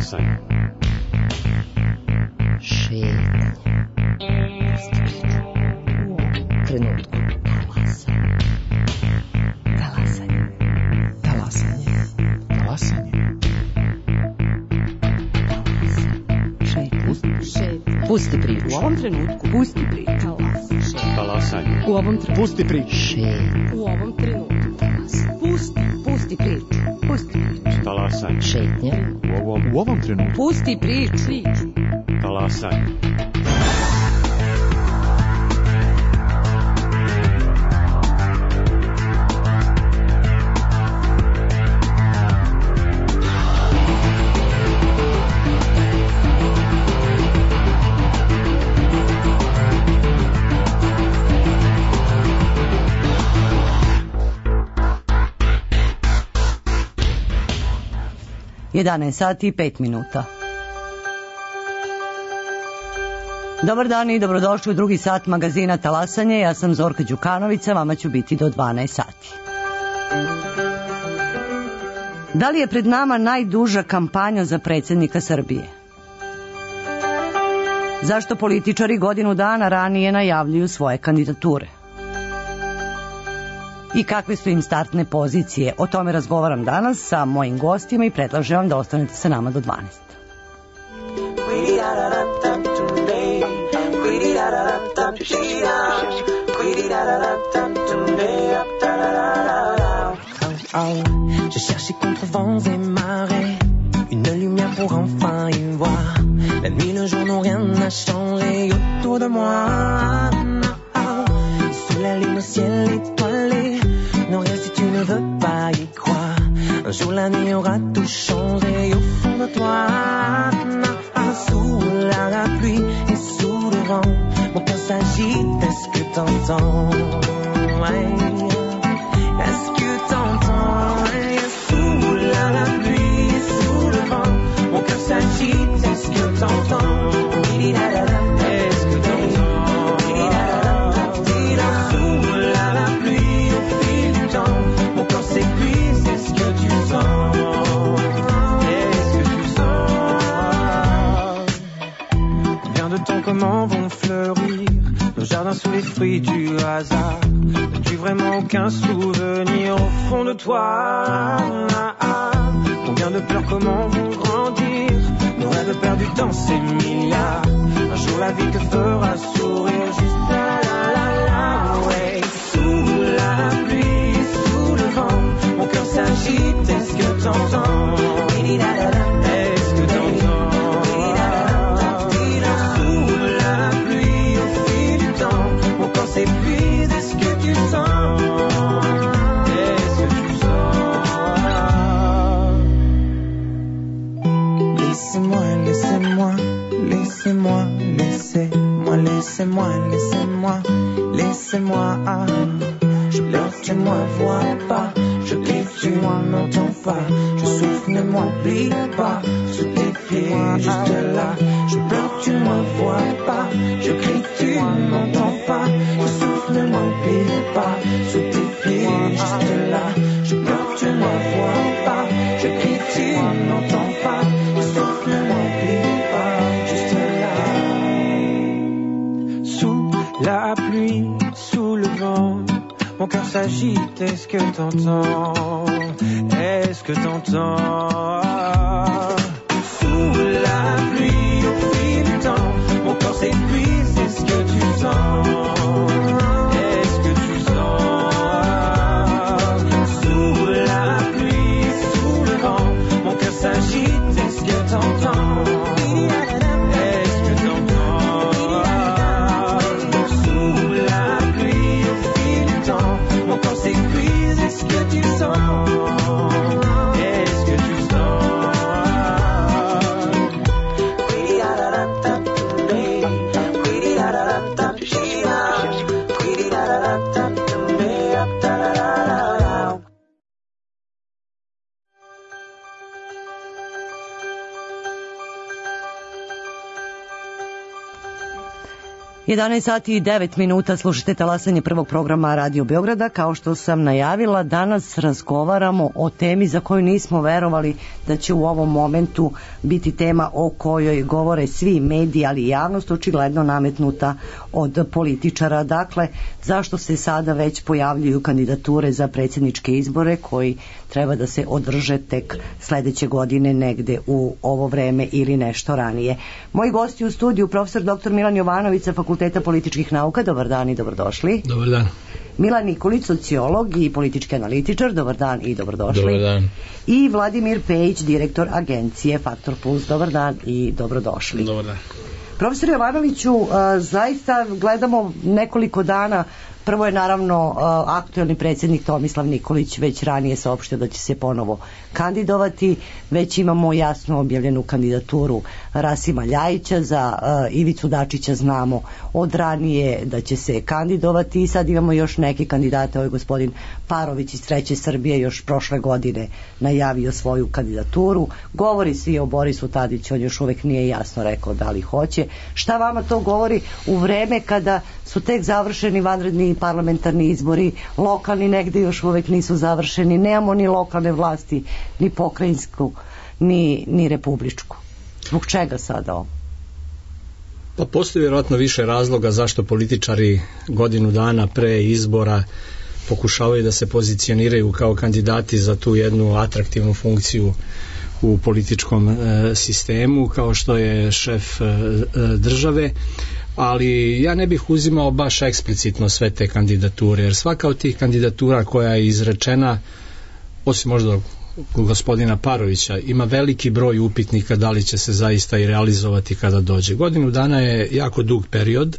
Talasanje. Šetnja. Trenutku. Talasanje. Talasanje. Talasanje. Šetnja. Pusti priču. U ovom trenutku. Pusti priču. Talasanje. U ovom trenutku. Pusti priču. Šetnja. U ovom trenutku. Pusti priču. Pusti priču. Talasanje. Šetnja. U ovom trenutku. Pusti priču. Talasanje. Sati i 5 minuta. Dobar dan i dobrodošli u drugi sat magazina Talasanje. Ja sam Zorka Đukanović, vama ću biti do 12 sati. Da li je pred nama najduža kampanja za predsjednika Srbije? Zašto političari godinu dana ranije najavljuju svoje kandidature? I kakve su im startne pozicije? O tome razgovaram danas sa mojim gostima i predlažem vam da ostanete sa nama do 12. Je cherchais contre vents et marées une lumière pour enfin y voir. La nuit, le jour n'ont rien à changer autour de moi. Sous la lune, au ciel étoilé, non rien si tu ne veux pas y croire. Un jour la nuit aura tout changé au fond de toi. Sous la pluie et sous le vent, mon cœur s'agite, est-ce que t'entends? Est-ce que t'entends? Sous la pluie et sous le vent, mon cœur s'agite, est-ce que t'entends? Est-ce que t'entends? Sous la pluie au fil du temps, mon corps s'épuise, est-ce que tu sens? Est-ce que tu sens? Combien de temps, comment vont fleurir nos jardins sous les fruits du hasard? N'as-tu vraiment aucun souvenir au fond de toi? Combien de pleurs, comment vont grandir nos rêves perdus dans ces milliards? Un jour la vie te fera sourire juste là, ouais. Sous la pluie, sous le vent, mon cœur s'agite, est-ce que t'entends? Est-ce que t'entends? Sous la pluie, au fil du temps, mon corps s'épuise, est-ce que tu sens? Est-ce que tu sens? Laissez-moi, laissez-moi, laissez-moi, laissez-moi, laissez-moi, laissez-moi, laissez-moi. Je pleure, tu ne me vois pas. Je crie, tu m'entends pas. Je souffle, ne m'oublie pas. Sous tes pieds, juste là. Je pleure, tu ne me vois pas. Je crie, tu m'entends pas. Je souffle, ne m'oublie pas. Sous tes pieds, juste là. Je pleure, tu ne me vois pas. Je crie, tu m'entends pas. Je souffle, ne m'oublie pas. Juste là. Sous la pluie, sous le vent, mon cœur s'agite, est-ce que t'entends? Est-ce que t'entends? Sous la pluie, au fil du temps, mon corps s'épuise, est-ce que tu sens? Est-ce que tu sens? Sous la pluie, sous le vent, mon cœur s'agite, est-ce que t'entends? Est-ce que t'entends? Sous la pluie, au fil du temps, mon corps s'épuise, est-ce que tu sens? Est-ce que tu sens? 11 sati i 9 minuta, slušate talasanje prvog programa Radio Beograda. Kao što sam najavila, danas razgovaramo o temi za koju nismo verovali da će u ovom momentu biti tema o kojoj govore svi mediji, ali i javnost, očigledno nametnuta od političara. Dakle, zašto se sada već pojavljuju kandidature za predsjedničke izbore koji treba da se održe tek sledeće godine negde u ovo vreme ili nešto ranije. Moji gosti u studiju, profesor dr. Milan Jovanović sa Fakulteta političkih nauka, dobar dan i dobrodošli. Dobar dan. Milan Nikolić, sociolog i politički analitičar, dobar dan i dobrodošli. Dobar dan. I Vladimir Pejić, direktor agencije Faktor Plus, dobar dan i dobrodošli. Dobar dan. Profesor Jovanoviću, zaista gledamo nekoliko dana. Prvo je naravno aktuelni predsjednik Tomislav Nikolić već ranije saopštio da će se ponovo kandidovati. Već imamo jasno objavljenu kandidaturu Rasima Ljajića, za Ivicu Dačića znamo od ranije da će se kandidovati i sad imamo još neke kandidate. Ovo je gospodin Parović iz Treće Srbije još prošle godine najavio svoju kandidaturu. Govori svi o Borisu Tadiću, on još uvek nije jasno rekao da li hoće. Šta vama to govori u vreme kada su tek završeni vanredni parlamentarni izbori, lokalni negde još uvek nisu završeni, nemamo ni lokalne vlasti, ni pokrajinsku, ni republičku. Zbog čega sada ovo? Pa postoji vjerojatno više razloga zašto političari godinu dana pre izbora pokušavaju da se pozicioniraju kao kandidati za tu jednu atraktivnu funkciju u političkom sistemu, kao što je šef države. Ali ja ne bih uzimao baš eksplicitno sve te kandidature, jer svaka od tih kandidatura koja je izrečena, osim možda gospodina Parovića, ima veliki broj upitnika da li će se zaista i realizovati kada dođe. Godinu dana je jako dug period.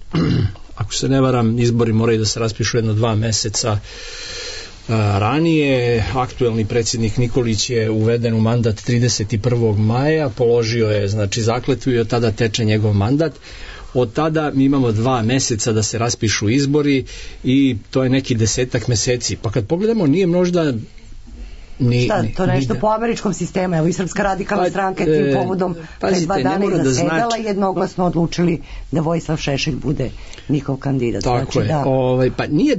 Ako se ne varam, izbori moraju da se raspišu 1-2 meseca ranije. Aktuelni predsjednik Nikolić je uveden u mandat 31. maja, položio je zakletvu i od tada teče njegov mandat. Od tada mi imamo 2 meseca da se raspišu izbori i to je neki 10 meseci. Pa kad pogledamo, nije možda to nešto po američkom sistemu. Evo i Srpska radikalna stranka tim povodom pre 2 dana je zasedala i jednoglasno odlučili da Vojislav Šešelj bude njihov kandidat. Tako je. Pa nije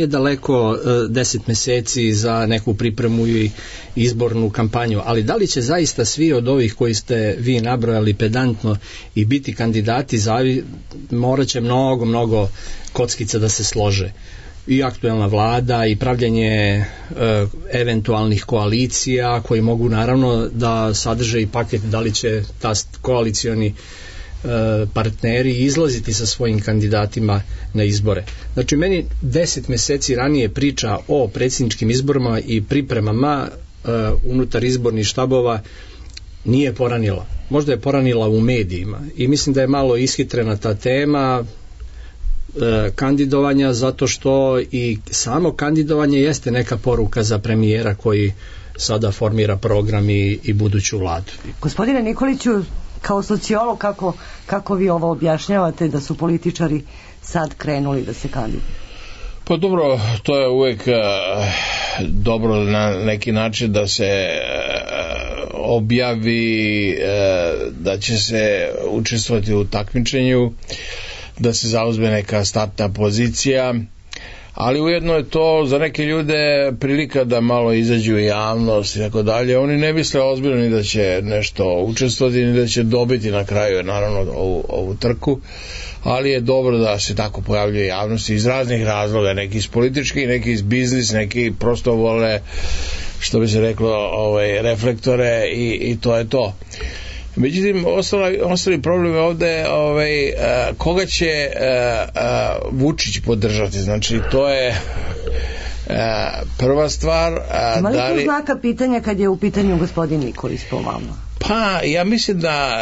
daleko 10 meseci za neku pripremu i izbornu kampanju, ali da li će zaista svi od ovih koji ste vi nabrojali pedantno i biti kandidati, morat će mnogo kockica da se slože. I aktuelna vlada i pravljanje eventualnih koalicija koji mogu naravno da sadrže i paket da li će koalicioni partneri izlaziti sa svojim kandidatima na izbore. Znači meni 10 meseci ranije priča o predsjedničkim izborima i pripremama unutar izbornih štabova nije poranila. Možda je poranila u medijima i mislim da je malo ishitrena ta tema kandidovanja, zato što i samo kandidovanje jeste neka poruka za premijera koji sada formira program i buduću vladu. Gospodine Nikoliću, kao sociolog, kako vi ovo objašnjavate da su političari sad krenuli da se kandiduju? Pa dobro, to je uvek dobro na neki način da se objavi da će se učestvovati u takmičenju, da se zauzme neka startna pozicija, ali ujedno je to za neke ljude prilika da malo izađu u javnost i tako dalje. Oni ne misle ozbiljno ni da će nešto učestvovati, ni da će dobiti na kraju naravno ovu trku, ali je dobro da se tako pojavljuje javnost iz raznih razloga, neki iz političkih, neki iz biznis, neki prosto vole, što bi se reklo, reflektore i to je to. Međutim, ostali problem je ovde koga će Vučić podržati. Znači, to je prva stvar. Ima li tu znaka pitanja kad je u pitanju gospodin Nikolić po vama? Pa, ja mislim da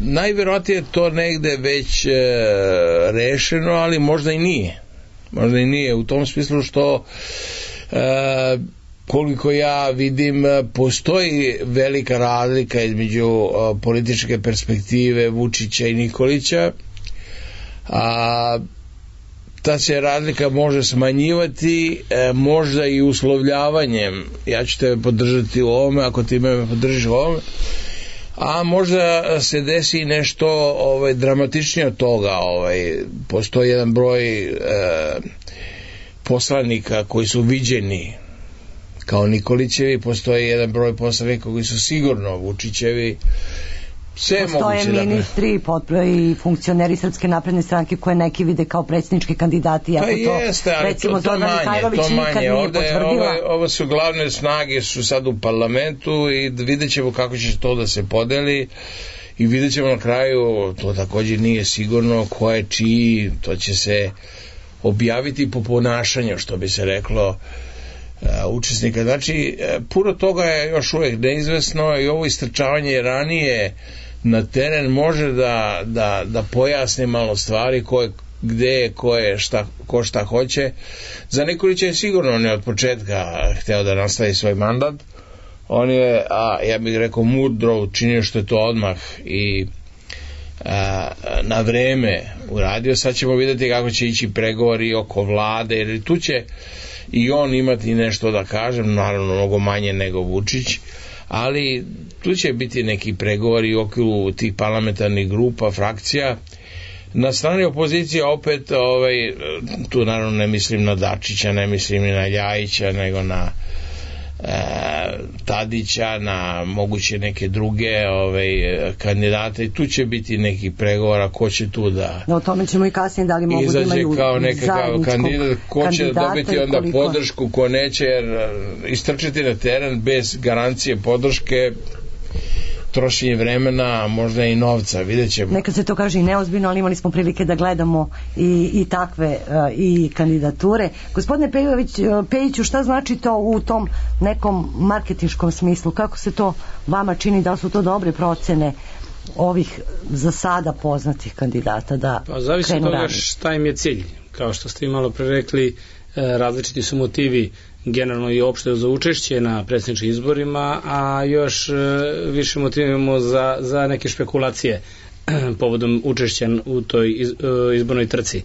najvjerojatnije to negde već rešeno, ali možda i nije. Možda i nije u tom smislu što koliko ja vidim, postoji velika razlika između političke perspektive Vučića i Nikolića, a ta se razlika može smanjivati, možda i uslovljavanjem. Ja ću tebe podržati u ovome, ako ti me podržiš u ovome. a možda se desi nešto dramatičnije od toga. Postoji jedan broj poslanika koji su viđeni kao Nikolićevi, postoji jedan broj poslanika koji su sigurno Vučićevi. Postoje ministri i funkcioneri Srpske napredne stranke koje neki vide kao predsjednički kandidati, ako jeste, ali recimo to Zorana Mihajlović nikad nije potvrdila. Ovo su glavne snage, su sad u parlamentu i vidjet ćemo kako će to da se podeli i vidjet ćemo na kraju, to također nije sigurno ko je čiji, to će se objaviti po ponašanju, što bi se reklo, učesnika. Znači, puno toga je još uvijek neizvesno i ovo istrčavanje ranije na teren može da pojasni malo stvari gde je, ko šta hoće. Za Nikolića je sigurno, on je od početka hteo da nastavi svoj mandat. On je, ja bih rekao, mudro učinio što je to odmah i na vreme uradio. Sad ćemo vidjeti kako će ići pregovori oko vlade, jer tu će i on imati nešto da kažem, naravno mnogo manje nego Vučić, ali tu će biti neki pregovori u okviru tih parlamentarnih grupa, frakcija. Na strani opozicije opet, tu naravno ne mislim na Dačića, ne mislim ni na Ljajića, nego na Tadića, na moguće neke druge kandidate, i tu će biti neki pregovora ko će tu da o tome ćemo i kasnije, da li mogu da imaju kao nekakav kandidat, ko će dobiti onda podršku, ko neće, jer istrčiti na teren bez garancije podrške, trošenje vremena, možda i novca, vidjet ćemo. Nekad se to kaže i neozbiljno, ali imali smo prilike da gledamo i takve i kandidature. Gospodine Pejiću, šta znači to u tom nekom marketinškom smislu? Kako se to vama čini? Da li su to dobre procene ovih za sada poznatih kandidata da zavisi krenu od toga ranije? šta im je cilj. Kao što ste i malo pre rekli, različiti su motivi generalno i opšte za učešće na predsjedničkim izborima, a još više motivimo za neke špekulacije povodom učešća u toj izbornoj trci.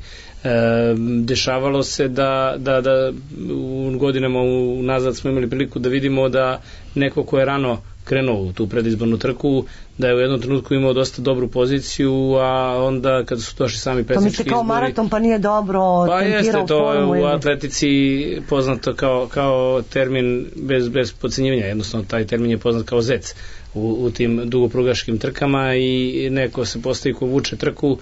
Dešavalo se da u godinama unazad smo imali priliku da vidimo da neko ko je rano krenuo u tu predizbornu trku, da je u jednom trenutku imao dosta dobru poziciju, a onda kada su došli sami predsjednički izbori... To mi se kao maraton, pa nije dobro tempirao formu. U atletici poznato kao termin bez podcenjivanja, jednostavno taj termin je poznat kao zec u tim dugoprugaškim trkama i neko se postavi ko vuče trku,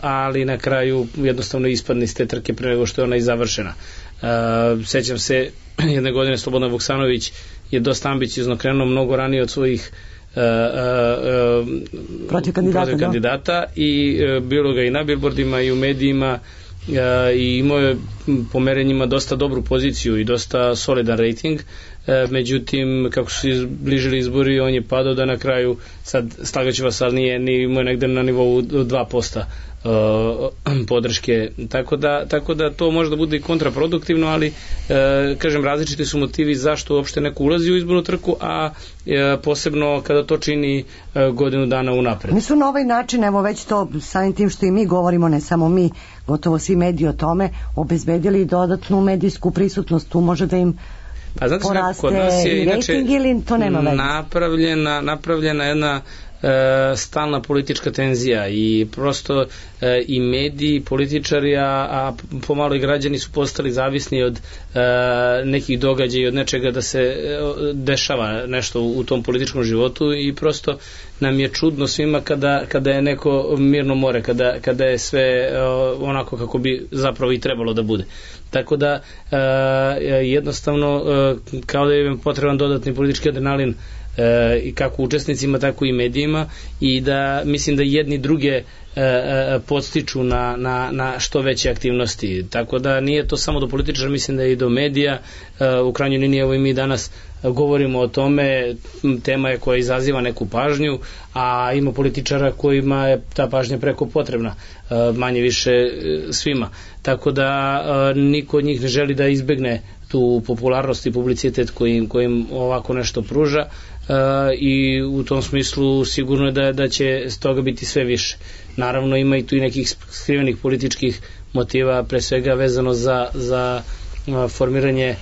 ali na kraju jednostavno ispadne iz te trke pre nego što je ona i završena. Sećam se jedne godine Slobodan Vuksanović je dosta ambiciozno krenuo mnogo ranije od svojih protiv kandidata i bilo ga i na billboardima i u medijima i imao je po merenjima dosta dobru poziciju i dosta solidan rating, međutim kako su se bližili izbori on je padao da na kraju, sad slagaću vas, ali nije imao negde na nivou 2% podrške, tako da to može da bude i kontraproduktivno, ali kažem, različiti su motivi zašto uopšte neko ulazi u izbornu trku, a posebno kada to čini godinu dana unapred. Mi su na ovaj način, evo već to samim tim što i mi govorimo, ne samo mi, gotovo svi mediji o tome, obezbedili dodatnu medijsku prisutnost, tu može da im poraste i rating ili to nema veze? Napravljena jedna stalna politička tenzija i prosto i mediji, i političari, a pomalo i građani su postali zavisni od nekih događaja i od nečega da se dešava nešto u tom političkom životu i prosto nam je čudno svima kada je neko mirno more, kada je sve onako kako bi zapravo i trebalo da bude. Tako da jednostavno kao da je potreban dodatni politički adrenalin i kako učesnicima, tako i medijima, i da mislim da jedni druge podstiču na što veće aktivnosti. Tako da nije to samo do političara, mislim da je i do medija. U krajnjoj liniji, evo i mi danas govorimo o tome, tema je koja izaziva neku pažnju, a ima političara kojima je ta pažnja preko potrebna, manje više svima. Tako da niko od njih ne želi da izbegne tu popularnost i publicitet kojim ovako nešto pruža, i u tom smislu sigurno je da će s toga biti sve više. Naravno ima i tu i nekih skrivenih političkih motiva, pre svega vezano za formiranje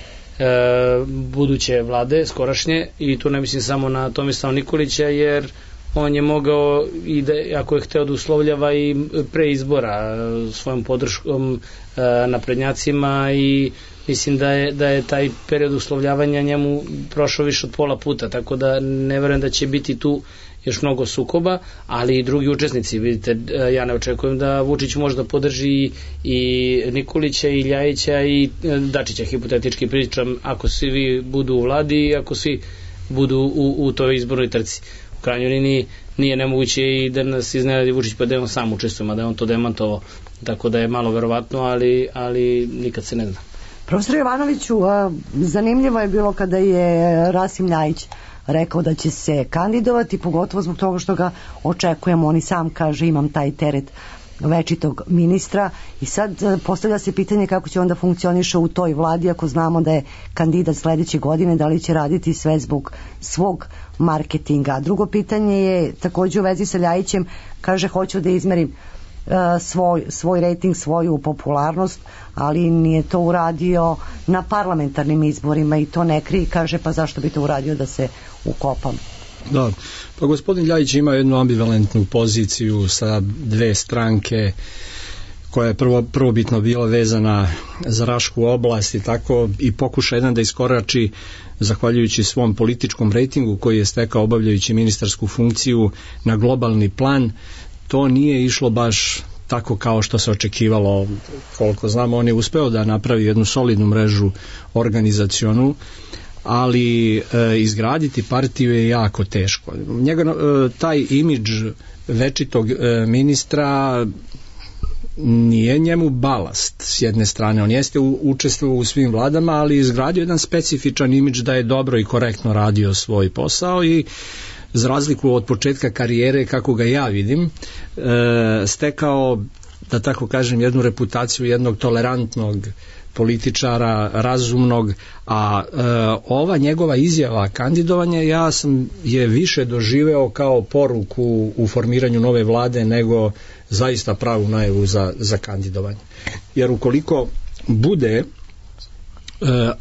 buduće vlade, skorašnje, i tu ne mislim samo na Tomislava Nikolića, jer on je mogao i da, ako je hteo da uslovljava i pre izbora svojom podrškom naprednjacima i mislim da je taj period uslovljavanja njemu prošao više od pola puta, tako da ne verujem da će biti tu još mnogo sukoba, ali i drugi učesnici, vidite, ja ne očekujem da Vučić može da podrži i Nikolića i Ljajića i Dačića, hipotetički pričam, ako svi vi budu u vladi i ako svi budu u toj izbornoj trci. U krajnjoj liniji nije nemoguće i da nas iznenadi Vučić pa da on sam učestvuje, da je on to demantovao, tako da je malo verovatno, ali nikad se ne zna. Profesor Jovanoviću, zanimljivo je bilo kada je Rasim Ljajić rekao da će se kandidovati, pogotovo zbog toga što ga očekujemo, on i sam kaže imam taj teret večitog ministra i sad postavlja se pitanje kako će onda funkcioniše u toj vladi ako znamo da je kandidat sledeće godine, da li će raditi sve zbog svog marketinga. Drugo pitanje je takođe u vezi sa Ljajićem, kaže hoću da izmerim svoj rating, svoju popularnost, ali nije to uradio na parlamentarnim izborima i to ne krije, kaže pa zašto bi to uradio da se ukopam. Da, pa gospodin Ljajić ima jednu ambivalentnu poziciju sa dve stranke koja je prvobitno bila vezana za Rašku oblast i tako i pokuša jedan da iskorači zahvaljujući svom političkom rejtingu koji je stekao obavljajući ministarsku funkciju na globalni plan. To nije išlo baš tako kao što se očekivalo. Koliko znamo, on je uspeo da napravi jednu solidnu mrežu organizacionu, ali izgraditi partiju je jako teško. Taj imidž večitog ministra nije njemu balast s jedne strane. On jeste učestvovao u svim vladama, ali izgradio jedan specifičan imidž da je dobro i korektno radio svoj posao i za razliku od početka karijere, kako ga ja vidim, stekao, da tako kažem, jednu reputaciju jednog tolerantnog političara, razumnog, a ova njegova izjava kandidovanja ja sam je više doživeo kao poruku u formiranju nove vlade nego zaista pravu najavu za kandidovanje. Jer ukoliko bude,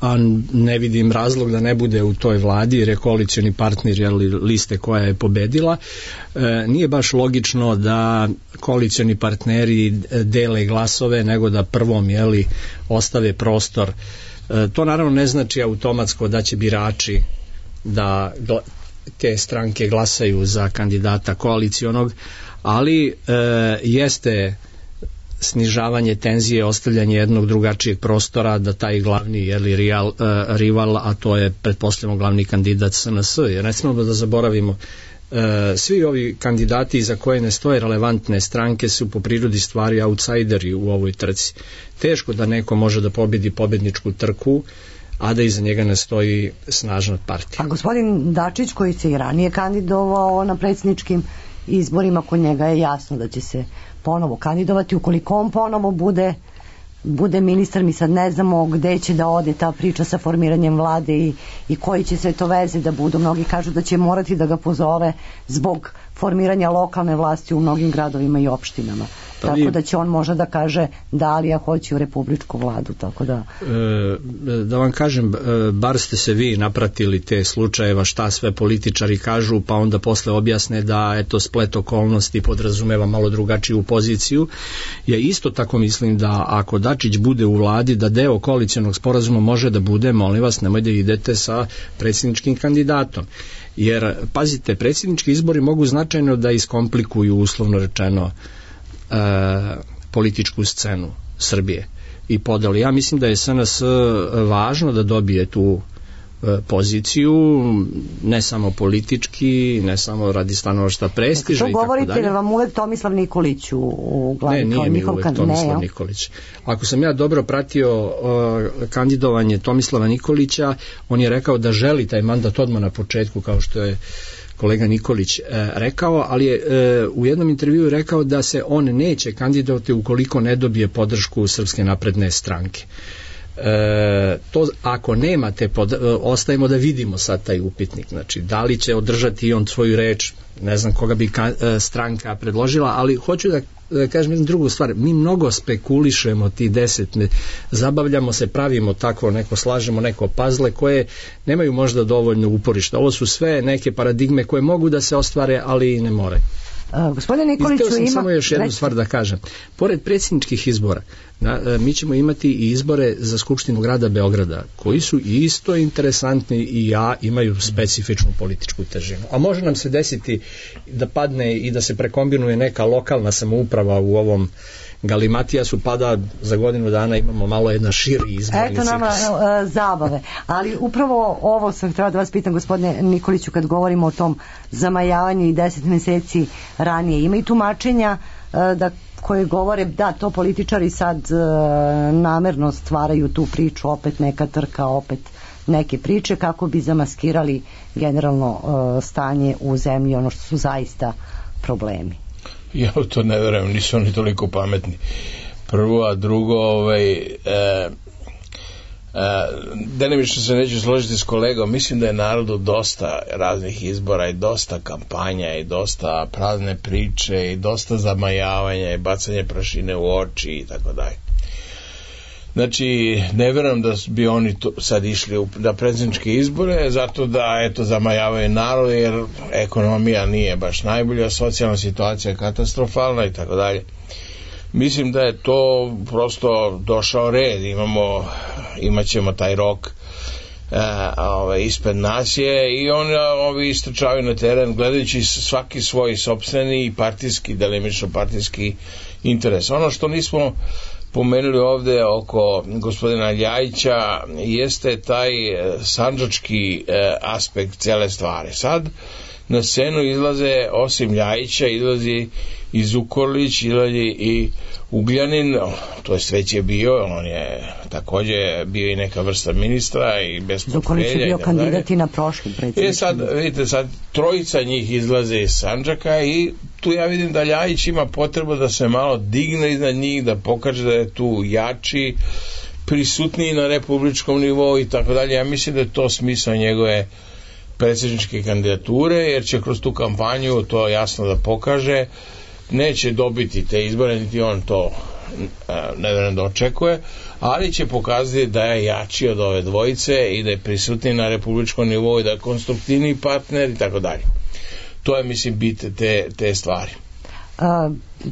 a ne vidim razlog da ne bude u toj vladi jer je koalicioni partner liste koja je pobedila, nije baš logično da koalicioni partneri dele glasove nego da prvom ostave prostor. To naravno ne znači automatsko da će birači da te stranke glasaju za kandidata koalicionog, ali jeste snižavanje tenzije, ostavljanje jednog drugačijeg prostora da taj glavni rival, a to je pretpostavljamo glavni kandidat SNS, jer ne smemo da zaboravimo, svi ovi kandidati za koje ne stoje relevantne stranke su po prirodi stvari outsideri u ovoj trci. Teško da neko može da pobedi pobedničku trku, a da iza njega ne stoji snažna partija. A gospodin Dačić koji se i ranije kandidovao na predsjedničkim izborima, kod njega je jasno da će se ponovo kandidovati, ukoliko on ponovo bude ministar, mi sad ne znamo gde će da ode ta priča sa formiranjem vlade i koji će sve to veze da budu. Mnogi kažu da će morati da ga pozove zbog formiranja lokalne vlasti u mnogim gradovima i opštinama. Tako da će on možda da kaže da li ja hoću u republičku vladu, tako da... Da vam kažem, bar ste se vi napratili te slučajeva šta sve političari kažu, pa onda posle objasne da eto splet okolnosti podrazumeva malo drugačiju poziciju. Ja isto tako mislim da ako Dačić bude u vladi, da deo koalicijonog sporazuma može da bude, molim vas, nemoj da idete sa predsjedničkim kandidatom. Jer, pazite, predsjednički izbori mogu značajno da iskomplikuju, uslovno rečeno, političku scenu Srbije i podelu. Ja mislim da je SNS važno da dobije tu poziciju, ne samo politički, ne samo radi stanovišta prestiža i tako dalje. To govorite da vam uvek Tomislav Nikolić u glavi? Ne, nije mi uvek Tomislav Nikolić. Ako sam ja dobro pratio kandidovanje Tomislava Nikolića, on je rekao da želi taj mandat odmah na početku, kao što je kolega Nikolić rekao, ali je u jednom intervjuu rekao da se on neće kandidovati ukoliko ne dobije podršku Srpske napredne stranke. to ako nemate, ostajemo da vidimo sad taj upitnik, znači da li će održati on svoju reč, ne znam koga bi stranka predložila, ali hoću da kažem jednu drugu stvar, mi mnogo spekulišemo ti 10, zabavljamo se, pravimo tako neko, slažemo neko pazle koje nemaju možda dovoljno uporišta. Ovo su sve neke paradigme koje mogu da se ostvare, ali i ne moraju. Gospodine Nikoliću, ima... Samo još jednu stvar da kažem. Pored predsjedničkih izbora, mi ćemo imati i izbore za Skupštinu grada Beograda, koji su isto interesantni i imaju specifičnu političku težinu. A može nam se desiti da padne i da se prekombinuje neka lokalna samouprava u ovom galimatijasu, pada za godinu dana, imamo malo jedna širi izborni ciklus. Eto nama zabave. Ali upravo ovo sam htjela da vas pitam, gospodine Nikoliću, kad govorimo o tom zamajavanju i 10 meseci ranije. Ima i tumačenja koje govore da to političari sad namerno stvaraju tu priču, opet neka trka, opet neke priče kako bi zamaskirali generalno stanje u zemlji, ono što su zaista problemi. Ja to ne verujem, nisu oni toliko pametni. Prvo, a drugo, delimično se neću složiti s kolegom, mislim da je narodu dosta raznih izbora i dosta kampanja i dosta prazne priče i dosta zamajavanja i bacanje prašine u oči i tako dalje. Znači, ne verujem da bi oni sad išli na predsjedničke izbore zato da, zamajavaju narod, jer ekonomija nije baš najbolja, socijalna situacija je katastrofalna i tako dalje. Mislim da je to prosto došao red, imat ćemo taj rok ispred nas je i ovi istrčavaju na teren gledajući svaki svoj sopstveni i partijski, delimično partijski interes. Ono što nismo pomenuli ovde oko gospodina Ljajića jeste taj sandžački aspekt cele stvari. Sad na scenu izlaze, osim Ljajića, izlazi i Zukorlić, izlazi i Ugljanin, to jest već je bio, on je takođe bio i neka vrsta ministra i bez portfelja. Zukorlić je bio kandidat i na prošlim predsjedničkim. Sad, vidite, sad trojica njih izlaze iz Sandžaka i tu ja vidim da Ljajić ima potrebu da se malo digne iznad njih, da pokaže da je tu jači, prisutniji na republičkom nivou i tako dalje. Ja mislim da je to smisao njegove predsjedničke kandidature, jer će kroz tu kampanju to jasno da pokaže. Neće dobiti te izbore, niti on to ne vjerujem da očekuje, ali će pokazati da je jači od ove dvojice i da je prisutniji na republičkom nivou i da je konstruktivniji partner i tako dalje. To je, mislim, bit te stvari.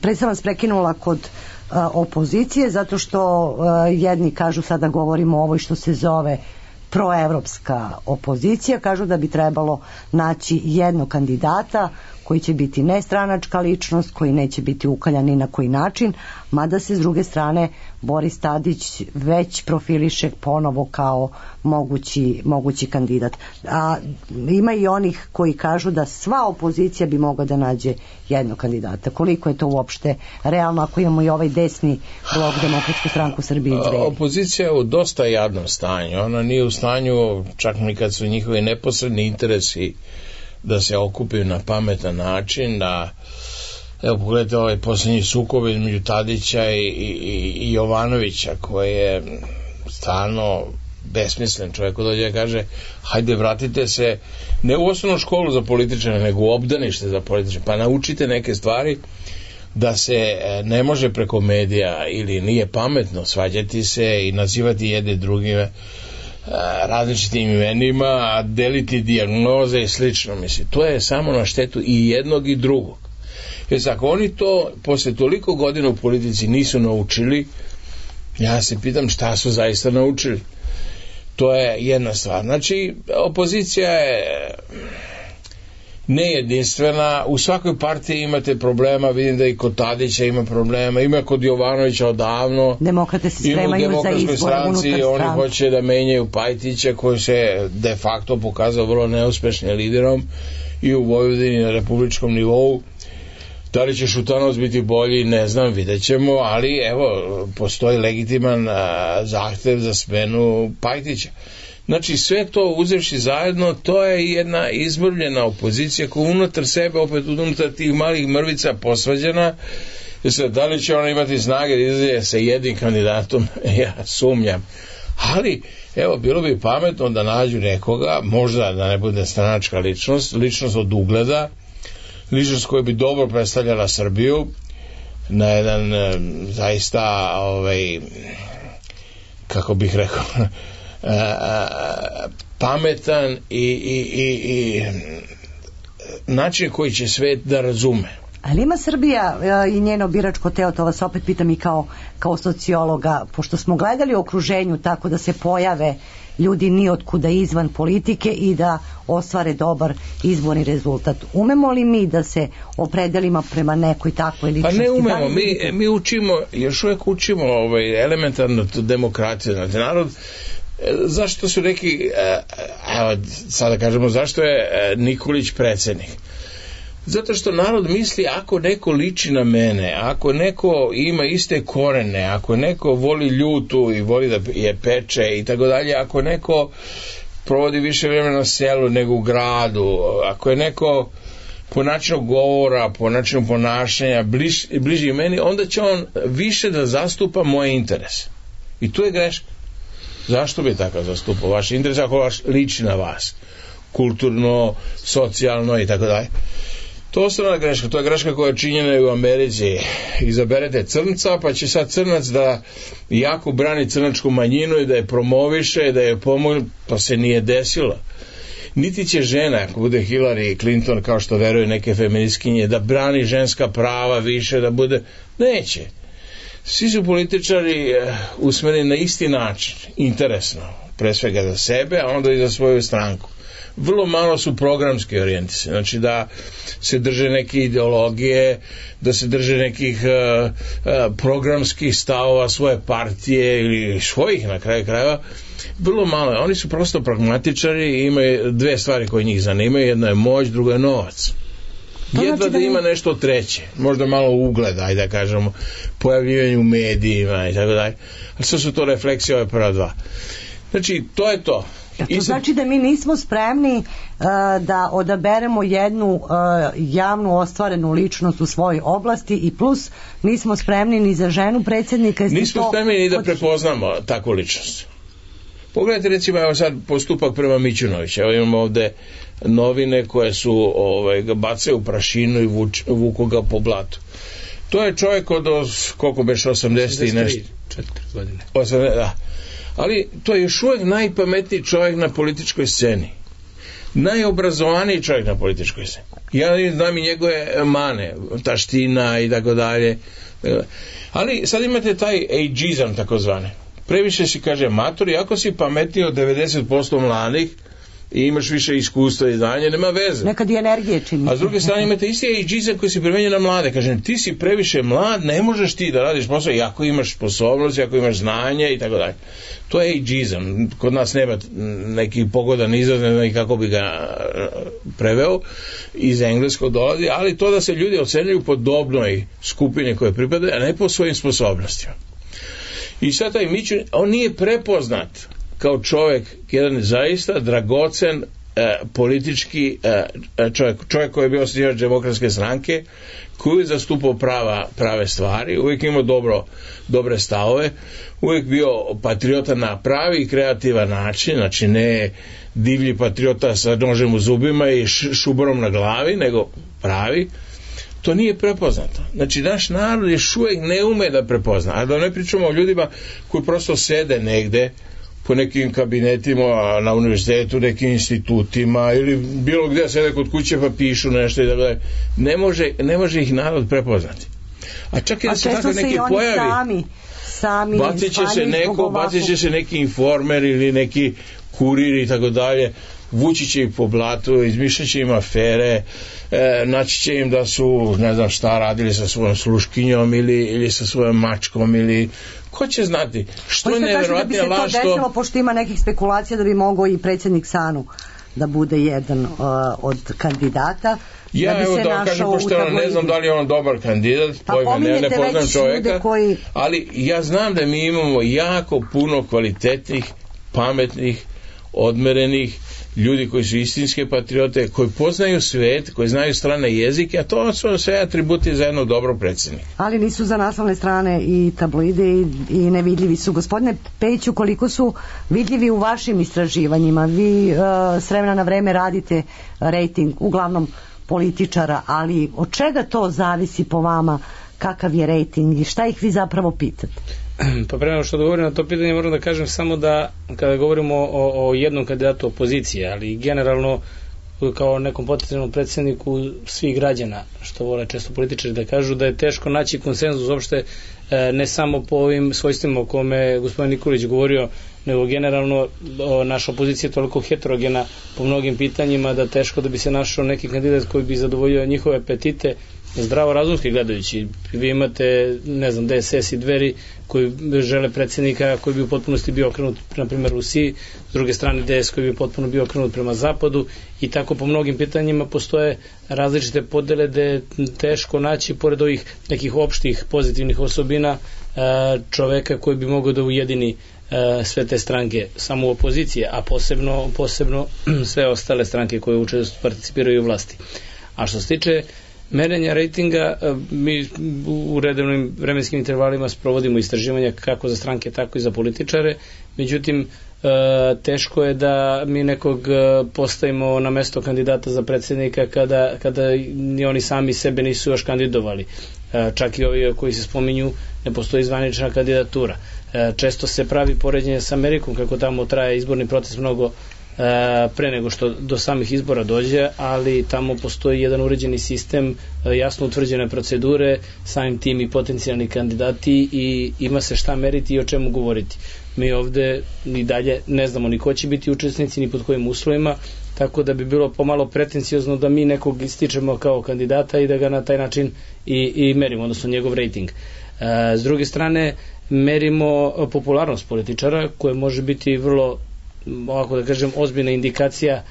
Pre sam vas prekinula kod opozicije, zato što jedni kažu, sada govorimo o ovoj što se zove proevropska opozicija, kažu da bi trebalo naći jednog kandidata koji će biti nestranačka ličnost, koji neće biti ukaljan ni na koji način, mada se s druge strane Boris Tadić već profiliše ponovo kao mogući kandidat. A ima i onih koji kažu da sva opozicija bi mogla da nađe jednog kandidata. Koliko je to uopšte realno ako imamo i ovaj desni blok Demokratsku stranku Srbije? Opozicija je u dosta jadnom stanju. Ona nije u stanju, čak ni kad su njihovi neposredni interesi da se okupaju na pametan način, da, evo pogledajte ovaj posljednji sukob između Tadića i Jovanovića, koji je stvarno besmislen. Čovjek dođe i kaže, hajde vratite se ne u osnovnu školu za političare, nego u obdanište za političare, pa naučite neke stvari da se ne može preko medija ili nije pametno svađati se i nazivati jedne drugime različitim imenima, deliti dijagnoze i slično. Mislim, to je samo na štetu i jednog i drugog. Jer ako oni to posle toliko godina u politici nisu naučili, ja se pitam šta su zaista naučili. To je jedna stvar. Znači, opozicija je nejedinstvena, u svakoj partiji imate problema, vidim da i kod Tadića ima problema, ima kod Jovanovića odavno, demokrate se spremaju za izbore unutar stranke, oni hoće da menjaju Pajtića koji se de facto pokazao vrlo neuspešnim liderom i u Vojvodini na republičkom nivou. Da li će Šutanovac biti bolji, ne znam, vidjet ćemo, ali evo, postoji legitiman zahtev za smenu Pajtića. Znači, sve to uzevši zajedno, to je jedna izbrbljena opozicija koja unutar sebe, opet unutar tih malih mrvica posvađana. Da li će ona imati snage da izlaze sa jednim kandidatom, ja sumnjam. Ali, evo, bilo bi pametno da nađu nekoga, možda da ne bude stranačka ličnost od ugleda, ličnost koja bi dobro predstavljala Srbiju na jedan zaista kako bih rekao pametan i način koji će svet da razume. Ali ima Srbija i njeno biračko telo, to vas opet pitam i kao sociologa, pošto smo gledali u okruženju tako da se pojave ljudi nijotkuda izvan politike i da ostvare dobar izborni rezultat. Umemo li mi da se opredelimo prema nekoj takvoj ličnosti? Pa ne umemo, mi učimo, još uvijek učimo elementarnu demokraciju, znači narod. Zašto su neki, evo sada kažemo, zašto je Nikolić predsjednik? Zato što narod misli, ako neko liči na mene, ako neko ima iste korene, ako neko voli ljutu i voli da je peče i tako dalje, ako neko provodi više vremena na selu nego u gradu, ako je neko po načinu govora, po načinu ponašanja bliži meni, onda će on više da zastupa moje interese. I tu je greška. Zašto bi takav zastupao vaš interes ako vaš liči na vas? Kulturno, socijalno i tako dalje. To je osnovna greška, to je greška koja je činjena i u Americi. Izaberete crnca, pa će sad crnac da jako brani crnačku manjinu i da je promoviše, da je pomogne, pa se nije desilo. Niti će žena, ako bude Hillary Clinton, kao što veruju neke feministkinje, da brani ženska prava više, da bude... Neće. Svi su političari usmereni na isti način, interesno, pre svega za sebe, a onda i za svoju stranku. Vrlo malo su programski orijentisani, znači da se drže neke ideologije, da se drže nekih programskih stavova svoje partije ili svojih na kraju krajeva, vrlo malo. Oni su prosto pragmatičari i imaju dve stvari koje njih zanimaju, jedno je moć, drugo je novac. Jedva da ima nešto treće, možda malo ugleda, ajde da kažemo, pojavljivanje u medijima i tako dalje, ali sve su to refleksije ove prva dva. Znači, to je to. To znači da mi nismo spremni da odaberemo jednu javnu ostvarenu ličnost u svojoj oblasti i plus nismo spremni ni za ženu predsjednika. Nismo spremni ni da prepoznamo takvu ličnost. Pogledajte recimo, evo sad postupak prema Mićunoviću. Evo imamo ovde novine koje su ga bacaju u prašinu i vuku ga po blatu. To je čovjek od koliko beš 80 i nešto 4 godine 80, da. Ali to je još uvijek najpametniji čovjek na političkoj sceni, najobrazovaniji čovjek na političkoj sceni. Ja znam i njegove mane, taština i tako dalje, ali sad imate taj ageizam takozvane. Previše si kaže mator, i ako si pametniji od 90% mladih i imaš više iskustva i znanja, nema veze. Nekad i energije čini. A s druge strane imate isti ageizam koji se primenjuje na mlade. Kažem, ti si previše mlad, ne možeš ti da radiš posao, i ako imaš sposobnost, ako imaš znanje i tako dalje. To je ageizam. Kod nas nema neki pogodan izraz, ne znam kako bi ga preveo, iz engleskog dolazi, ali to da se ljudi ocenjuju po dobnoj skupini koje pripadaju, a ne po svojim sposobnostima. I sad taj Mićun, on nije prepoznat kao čovjek, jedan zaista dragocen politički čovjek koji je bio osnivač Demokratske stranke, koji je zastupao prave stvari, uvijek imao dobre stavove, uvijek bio patriota na pravi i kreativan način, znači ne divlji patriota sa nožem u zubima i šuborom na glavi, nego pravi. To nije prepoznato. Znači, naš narod još uvijek ne ume da prepozna. A da ne pričamo o ljudima koji prosto sede negde po nekim kabinetima na univerzitetu, nekim institutima ili bilo gdje sede kod kuće pa pišu nešto i tako dalje. Ne može ih narod prepoznati. A čak i da se tako neki pojavi, bacit će se neki informer ili neki kurir i tako dalje, vući će ih po blatu, izmišljat će im afere, naći će im da su, ne znam šta, radili sa svojom sluškinjom ili sa svojom mačkom ili ko će znati. Što je nevjerovatnija laž? Da bi se to desilo, pošto ima nekih spekulacija da bi mogao i predsjednik SANU da bude jedan od kandidata. Ja evo da vam kažem, pošto ne znam da li je on dobar kandidat, ne poznam čovjeka, ali ja znam da mi imamo jako puno kvalitetnih, pametnih, odmerenih ljudi koji su istinske patriote, koji poznaju svet, koji znaju strane jezike, a to su sve atributi za jednog dobrog predsjednika. Ali nisu za naslovne strane i tabloide i nevidljivi su. Gospodine Pejiću, koliko su vidljivi u vašim istraživanjima? Vi s vremena na vreme radite rejting, uglavnom političara, ali od čega to zavisi po vama, kakav je rejting i šta ih vi zapravo pitate? Pa prema što govorim na to pitanje moram da kažem samo da kada govorimo o jednom kandidatu opozicije, ali generalno kao nekom potencijalnom predsjedniku svih građana, što vole često političari da kažu, da je teško naći konsenzus uopšte, ne samo po ovim svojstvima o kome gospodin Nikolić govorio, nego generalno naša opozicija je toliko heterogena po mnogim pitanjima da teško da bi se našao neki kandidat koji bi zadovoljio njihove apetite, zdravo razumski gledajući. Vi imate, ne znam, DSS i Dveri koji žele predsjednika koji bi u potpunosti bio okrenut na primjer Rusiji, s druge strane DS koji bi potpuno bio okrenut prema zapadu, i tako po mnogim pitanjima postoje različite podele da je teško naći pored ovih nekih opštih pozitivnih osobina čoveka koji bi mogao da ujedini sve te stranke samo u opoziciji, a posebno sve ostale stranke koje participiraju u vlasti. A što se tiče merenja rejtinga, mi u redovnim vremenskim intervalima sprovodimo istraživanja kako za stranke, tako i za političare, međutim teško je da mi nekog postavimo na mesto kandidata za predsjednika kada ni oni sami sebe nisu još kandidovali. Čak i ovi koji se spominju, ne postoji zvanična kandidatura. Često se pravi poređenje sa Amerikom, kako tamo traje izborni proces mnogo pre nego što do samih izbora dođe, ali tamo postoji jedan uređeni sistem, jasno utvrđene procedure, samim tim i potencijalni kandidati, i ima se šta meriti i o čemu govoriti. Mi ovde i dalje ne znamo ni ko će biti učesnici, ni pod kojim uslovima, tako da bi bilo pomalo pretenciozno da mi nekog ističemo kao kandidata i da ga na taj način i merimo, odnosno njegov rejting. S druge strane, merimo popularnost političara, koje može biti vrlo, ovako da kažem, ozbiljna indikacija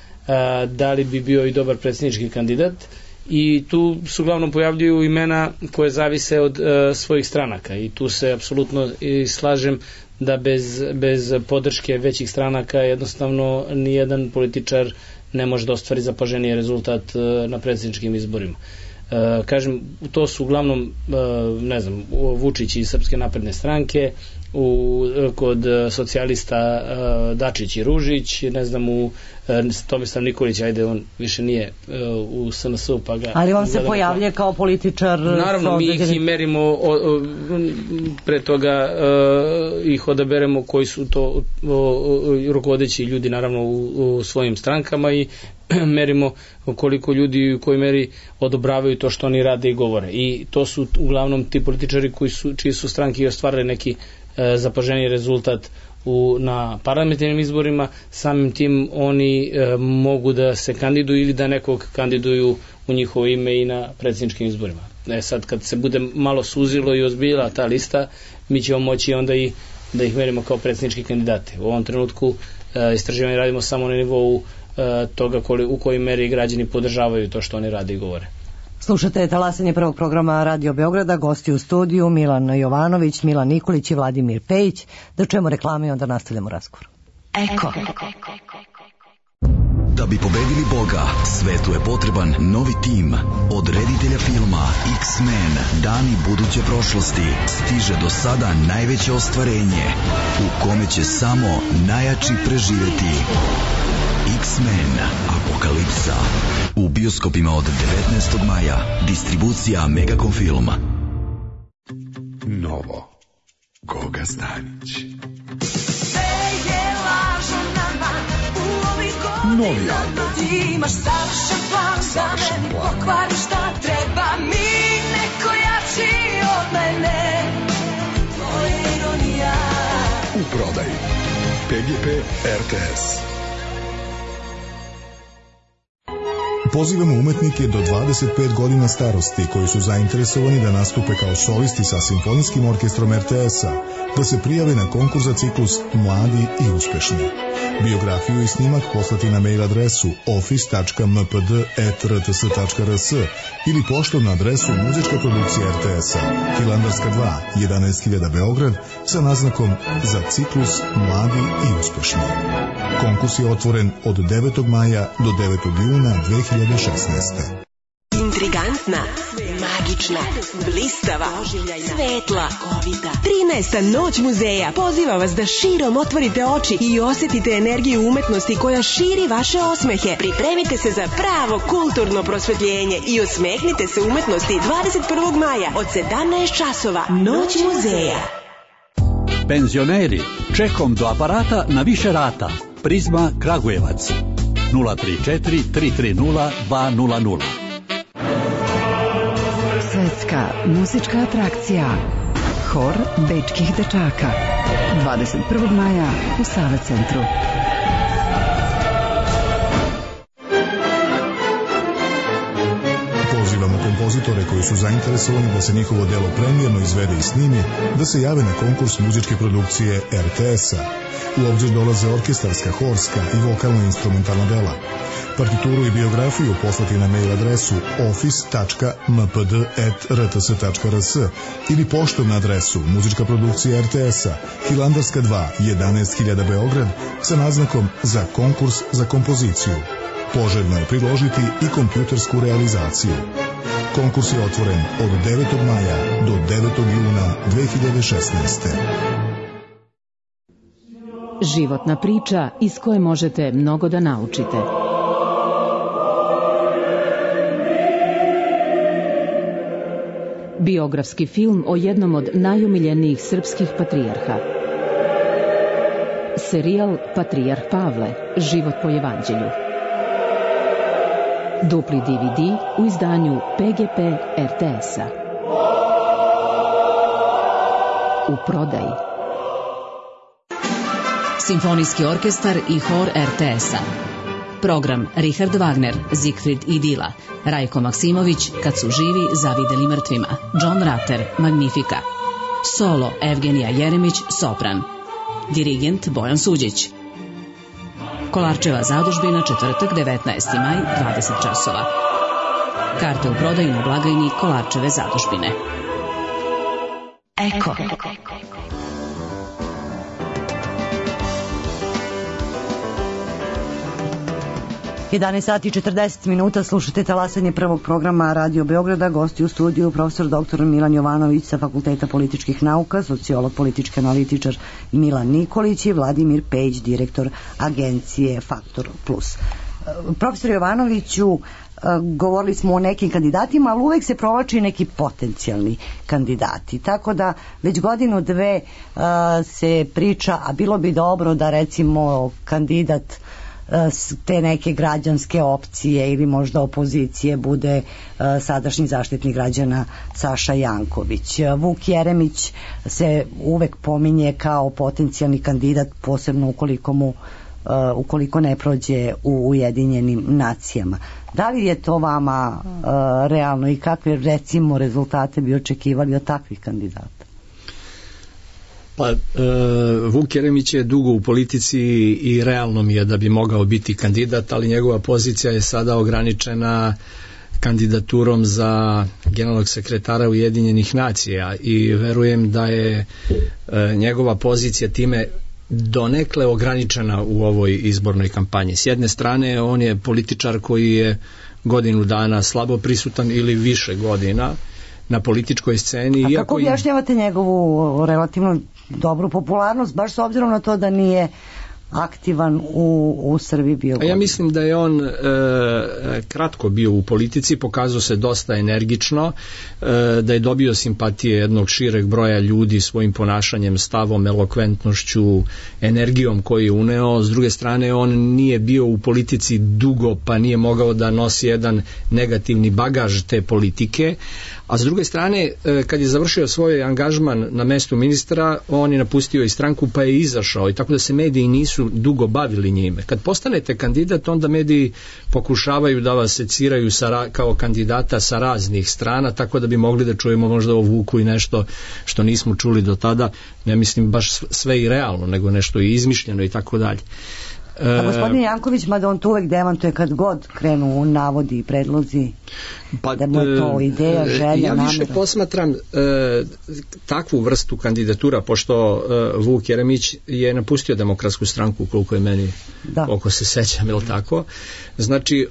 da li bi bio i dobar predsjednički kandidat, i tu se uglavnom pojavljuju imena koje zavise od svojih stranaka, i tu se apsolutno i slažem da bez podrške većih stranaka jednostavno nijedan političar ne može da ostvari zapaženiji rezultat na predsjedničkim izborima. Kažem, to su uglavnom, ne znam, Vučić iz Srpske napredne stranke, kod socijalista Dačić i Ružić, ne znam, u Tomislav Nikolić, ajde, on više nije u SNS-u, pa ga... Ali on se pojavlja kao političar... Naravno, mi ih i merimo, pre toga ih odaberemo koji su to rukovodeći ljudi, naravno, u svojim strankama, i merimo koliko ljudi u kojoj meri odobravaju to što oni rade i govore. I to su uglavnom ti političari čiji su stranke i ostvarili neki zapaženiji rezultat na parlamentarnim izborima, samim tim oni mogu da se kandiduju ili da nekog kandiduju u njihovo ime i na predsjedničkim izborima. Sad kad se bude malo suzilo i ozbiljila ta lista, mi ćemo moći onda i da ih merimo kao predsjednički kandidate. U ovom trenutku istraživanje radimo samo na nivou toga u kojoj meri građani podržavaju to što oni rade i govore. Slušate talasanje prvog programa Radio Beograda, gosti u studiju Milan Jovanović, Milan Nikolić i Vladimir Pejić. Da čujemo reklame i onda nastavljamo razgovor. Eko. Da bi pobedili Boga, svetu je potreban novi tim. Od reditelja filma X-Men, Dani buduće prošlosti, stiže do sada najveće ostvarenje, u kome će samo najjači preživeti. X-Men Apokalipsa. U bioskopima od 19. maja. Distribucija Megacom Film. Novo. Goga Stanić. Novi album. Imaš savršen plan da meni pokvari šta treba mi, neko jači od mene. To je ironija. U prodaji PGP RTS. Pozivamo umetnike do 25 godina starosti koji su zainteresovani da nastupe kao solisti sa Simfonijskim orkestrom RTS-a, da se prijave na konkurs za ciklus Mladi i uspešni. Biografiju i snimak poslati na mail adresu office.mpd@rts.rs ili poštom na adresu Muzička produkcija RTS-a, Hilandarska 2, 11.000 Beograd, sa naznakom za ciklus Mladi i uspešni. Konkurs je otvoren od 9. maja do 9. juna 2016. Intrigantna, magična, blistava, svetla, 13. noć muzeja poziva vas da širom otvorite oči i osetite energiju umetnosti koja širi vaše osmehe. Pripremite se za pravo kulturno prosvetljenje i osmehnite se umetnosti 21. maja od 17 časova. Noć muzeja. Penzioneri, čekom do aparata na više rata. Prizma Kragujevac 034 330 200. Svetska muzička atrakcija Hor bečkih dečaka 21. maja u Sava centru. Pozivamo kompozitore koji su zainteresovani da se njihovo delo premijerno izvede i snimi, da se jave na konkurs muzičke produkcije RTS-a. U obzir dolaze orkestarska, horska i vokalno-instrumentalna dela. Partituru i biografiju poslati na mail adresu office.mpd@rts.rs ili poštom na adresu Muzička produkcija RTS-a, Hilandarska 2, 11.000 Beograd, sa naznakom za konkurs za kompoziciju. Poželjno je priložiti i kompjutersku realizaciju. Konkurs je otvoren od 9. maja do 9. juna 2016. Životna priča iz koje možete mnogo da naučite. Biografski film o jednom od najomiljenijih srpskih patrijarha. Serijal Patrijarh Pavle, život po evanđelju. Dupli DVD u izdanju PGP RTS-a. U prodaji. Simfonijski orkestar i hor RTS-a. Program Richard Wagner, Siegfried i Dila, Rajko Maksimović, Kad su živi zavideli mrtvima, John Ratter, Magnifica. Solo Evgenija Jeremić, sopran. Dirigent Bojan Suđić. Kolarčeva zadužbina, četvrtak, 19. maj, 20 časova. Karte u prodaju na blagajni Kolarčeve zadužbine. Eko. 11 sati i 40 minuta, slušate talasanje prvog programa Radio Beograda. Gosti u studiju profesor dr. Milan Jovanović sa Fakulteta političkih nauka, sociolog, politički analitičar Milan Nikolić i Vladimir Pejić, direktor agencije Faktor Plus. Profesor Jovanoviću, govorili smo o nekim kandidatima, ali uvek se provlači neki potencijalni kandidati. Tako da već godinu, dve se priča, a bilo bi dobro da recimo kandidat te neke građanske opcije ili možda opozicije bude sadašnji zaštitnik građana Saša Janković. Vuk Jeremić se uvek pominje kao potencijalni kandidat, posebno ukoliko ne prođe u Ujedinjenim nacijama. Da li je to vama realno i kakve recimo rezultate bi očekivali od takvih kandidata? Pa, Vuk Jeremić je dugo u politici i realno mi je da bi mogao biti kandidat, ali njegova pozicija je sada ograničena kandidaturom za generalnog sekretara Ujedinjenih nacija i verujem da je njegova pozicija time donekle ograničena u ovoj izbornoj kampanji. S jedne strane, on je političar koji je godinu dana slabo prisutan ili više godina na političkoj sceni. A kako objašnjavate njegovu relativno dobru popularnost, baš s obzirom na to da nije aktivan u Srbiji bio godinu? Ja mislim da je on kratko bio u politici, pokazao se dosta energično, da je dobio simpatije jednog šireg broja ljudi svojim ponašanjem, stavom, elokventnošću, energijom koju je uneo. S druge strane, on nije bio u politici dugo, pa nije mogao da nosi jedan negativni bagaž te politike. A s druge strane, kad je završio svoj angažman na mestu ministra, on je napustio i stranku pa je izašao, i tako da se mediji nisu nisu dugo bavili njime. Kad postanete kandidat, onda mediji pokušavaju da vas seciraju kao kandidata sa raznih strana, tako da bi mogli da čujemo možda o Vuku i nešto što nismo čuli do tada, ne mislim baš sve i realno, nego nešto i izmišljeno i tako dalje. A gospodin Janković, mada on to uvek demantuje kad god krenu u navodi i predlozi, da mu je to ideja, želja, namera. Ja više posmatram takvu vrstu kandidatura, pošto Vuk Jeremić je napustio Demokratsku stranku, koliko je meni, koliko se sećam, je li tako? Znači,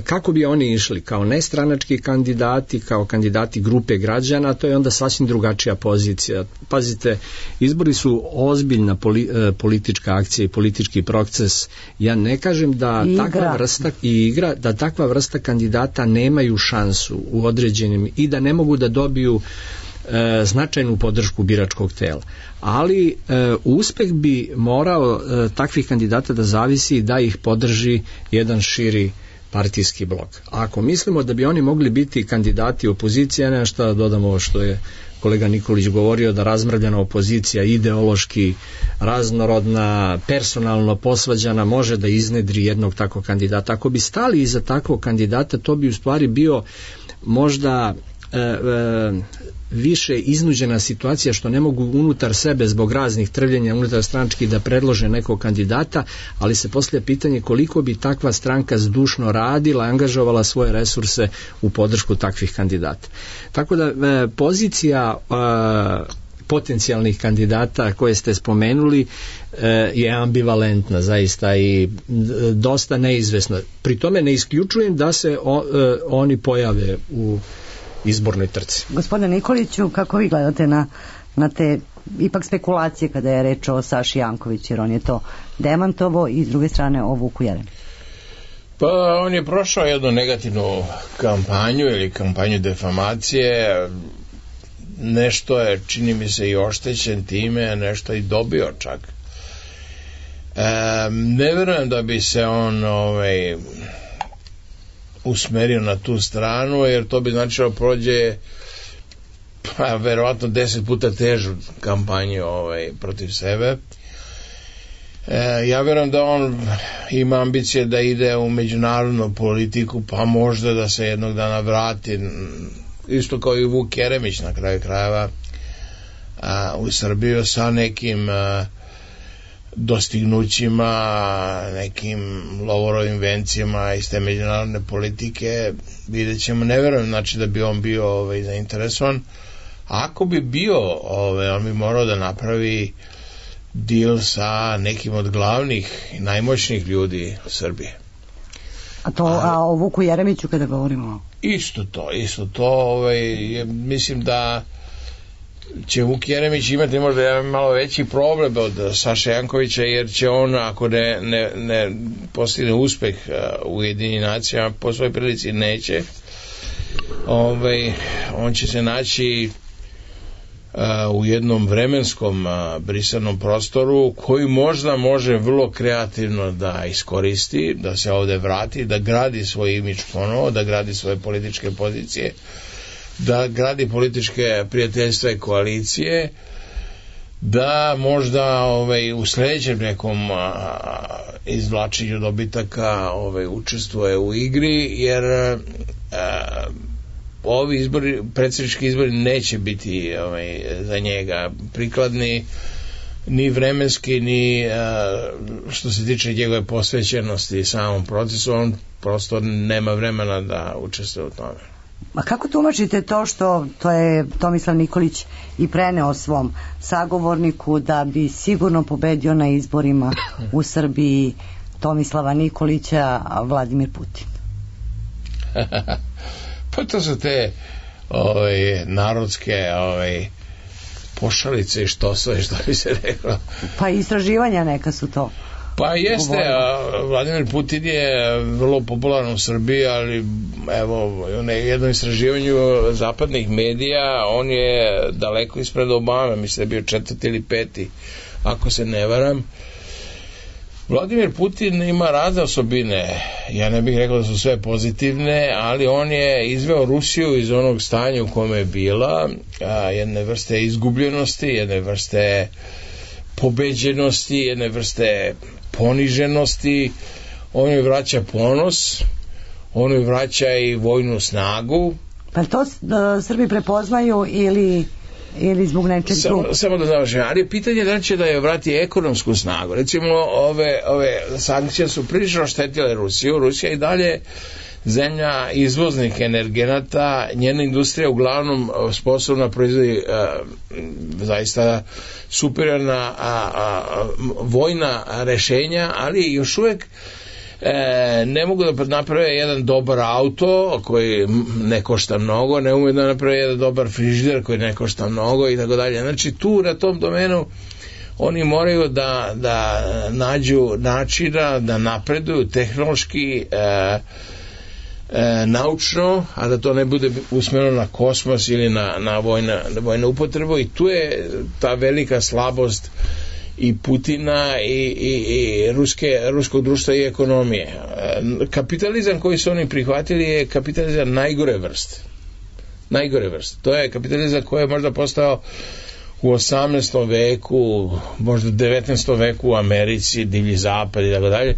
kako bi oni išli? Kao nestranački kandidati, kao kandidati grupe građana, to je onda sasvim drugačija pozicija. Pazite, izbori su ozbiljna politička akcija i politički proces. Ja ne kažem da takva vrsta kandidata nemaju šansu u određenim i da ne mogu da dobiju značajnu podršku biračkog tela. Ali uspeh bi morao takvih kandidata da zavisi da ih podrži jedan širi partijski blok. Ako mislimo da bi oni mogli biti kandidati opozicije, ne šta da dodamo ovo što je kolega Nikolić govorio, da razmrvljena opozicija, ideološki raznorodna, personalno posvađana, može da iznedri jednog takvog kandidata. Ako bi stali iza takvog kandidata, to bi u stvari bio možda više iznuđena situacija što ne mogu unutar sebe zbog raznih trvljenja unutar stranačkih da predlože nekog kandidata, ali se postavlja pitanje koliko bi takva stranka zdušno radila, angažovala svoje resurse u podršku takvih kandidata. Tako da pozicija potencijalnih kandidata koje ste spomenuli je ambivalentna zaista i dosta neizvesna. Pri tome ne isključujem da se oni pojave u izbornoj trci. Gospodine Nikoliću, kako vi gledate na te ipak spekulacije kada je reč o Saši Jankoviću, jer on je to demantovo i s druge strane o Vuku Jeremiću? Pa on je prošao jednu negativnu kampanju ili kampanju defamacije, nešto je, čini mi se, i oštećen time, nešto i dobio čak. Ne verujem da bi se on usmerio na tu stranu, jer to bi značilo prođe verovatno 10 puta težu kampanju protiv sebe. Ja verujem da on ima ambicije da ide u međunarodnu politiku, pa možda da se jednog dana vrati, isto kao i Vuk Jeremić na kraju krajeva, u Srbiju sa nekim dostignućima, nekim lovorovim vencijama iz te međunarodne politike. Vidjet ćemo, ne verujem znači da bi on bio zainteresovan. Ako bi bio, on bi morao da napravi deal sa nekim od glavnih i najmoćnijih ljudi Srbije. A o Vuku Jeremiću kada govorimo? Isto to, mislim da će Vuk Jeremić imati možda malo veći problem od Saše Jankovića, jer će on, ako ne postigne uspeh u Ujedinjenim nacijama, po svojoj prilici neće, on će se naći u jednom vremenskom brisanom prostoru koji možda može vrlo kreativno da iskoristi, da se ovde vrati, da gradi svoj imidž ponovo, da gradi svoje političke pozicije, da gradi političke prijateljstva i koalicije, da možda u sledećem nekom izvlačenju dobitaka učestvuje u igri, jer ovi izbori, predsjednički izbori neće biti za njega prikladni ni vremenski, ni što se tiče njegove posvećenosti samom procesu. On prosto nema vremena da učestvuje u tome. A kako tumačite to što to je Tomislav Nikolić i preneo svom sagovorniku da bi sigurno pobedio na izborima u Srbiji Tomislava Nikolića, a Vladimir Putin? Pa to su te narodske pošalice i što sve, što bi se reklo. Pa istraživanja neka su to. Pa jeste, Vladimir Putin je vrlo popularan u Srbiji, ali evo, u jednom istraživanju zapadnih medija on je daleko ispred Obame, mislim da je bio 4. ili 5. ako se ne varam. Vladimir Putin ima razne osobine, ja ne bih rekao da su sve pozitivne, ali on je izveo Rusiju iz onog stanja u kome je bila, jedne vrste izgubljenosti, jedne vrste pobeđenosti, jedne vrste poniženosti. On joj vraća ponos, on joj vraća i vojnu snagu. Pa to Srbi prepoznaju ili zbog nečeg drugog? Samo da završim, ali je pitanje da li će da je vrati ekonomsku snagu. Recimo, ove sankcije su prilično štetile Rusiju. Rusija i dalje zemlja izvoznih energenata, njena industrija uglavnom sposobna proizvodi zaista superiorna vojna rešenja, ali još uvek ne mogu da naprave jedan dobar auto koji ne košta mnogo, ne umeju da naprave jedan dobar frižider koji ne košta mnogo i tako dalje. Znači tu na tom domenu oni moraju da nađu načina da napreduju tehnološki, naučno, a da to ne bude usmjereno na kosmos ili na vojnu upotrebu, i tu je ta velika slabost i Putina i ruskog društva i ekonomije. Kapitalizam koji su oni prihvatili je kapitalizam najgore vrste. To je kapitalizam koji je možda postao u 18. veku, možda 19. veku u Americi, divlji zapad i tako dalje.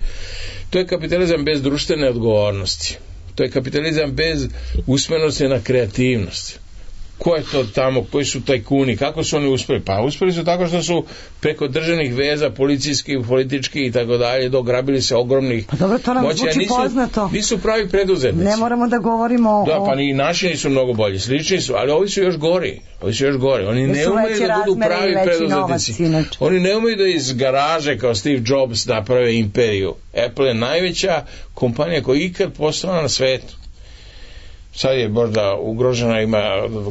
To je kapitalizam bez društvene odgovornosti. To je kapitalizam bez usmerenosti na kreativnost. Ko je to tamo, koji su tajkuni, kako su oni uspeli? Pa uspeli su tako što su preko državnih veza, policijskih, političkih i tako dalje, dograbili se ogromnih pa dobro, to nam moća. Zvuči poznato. Nisu pravi preduzetnici. Ne moramo da govorimo da, pa ni naši nisu mnogo bolji, slični su, ali ovi su još gori. Oni ne umeju da budu pravi preduzetnici. Oni ne umeju da iz garaže kao Steve Jobs naprave imperiju. Apple je najveća kompanija koja je ikad postojala na svetu. Sad je možda ugrožena, ima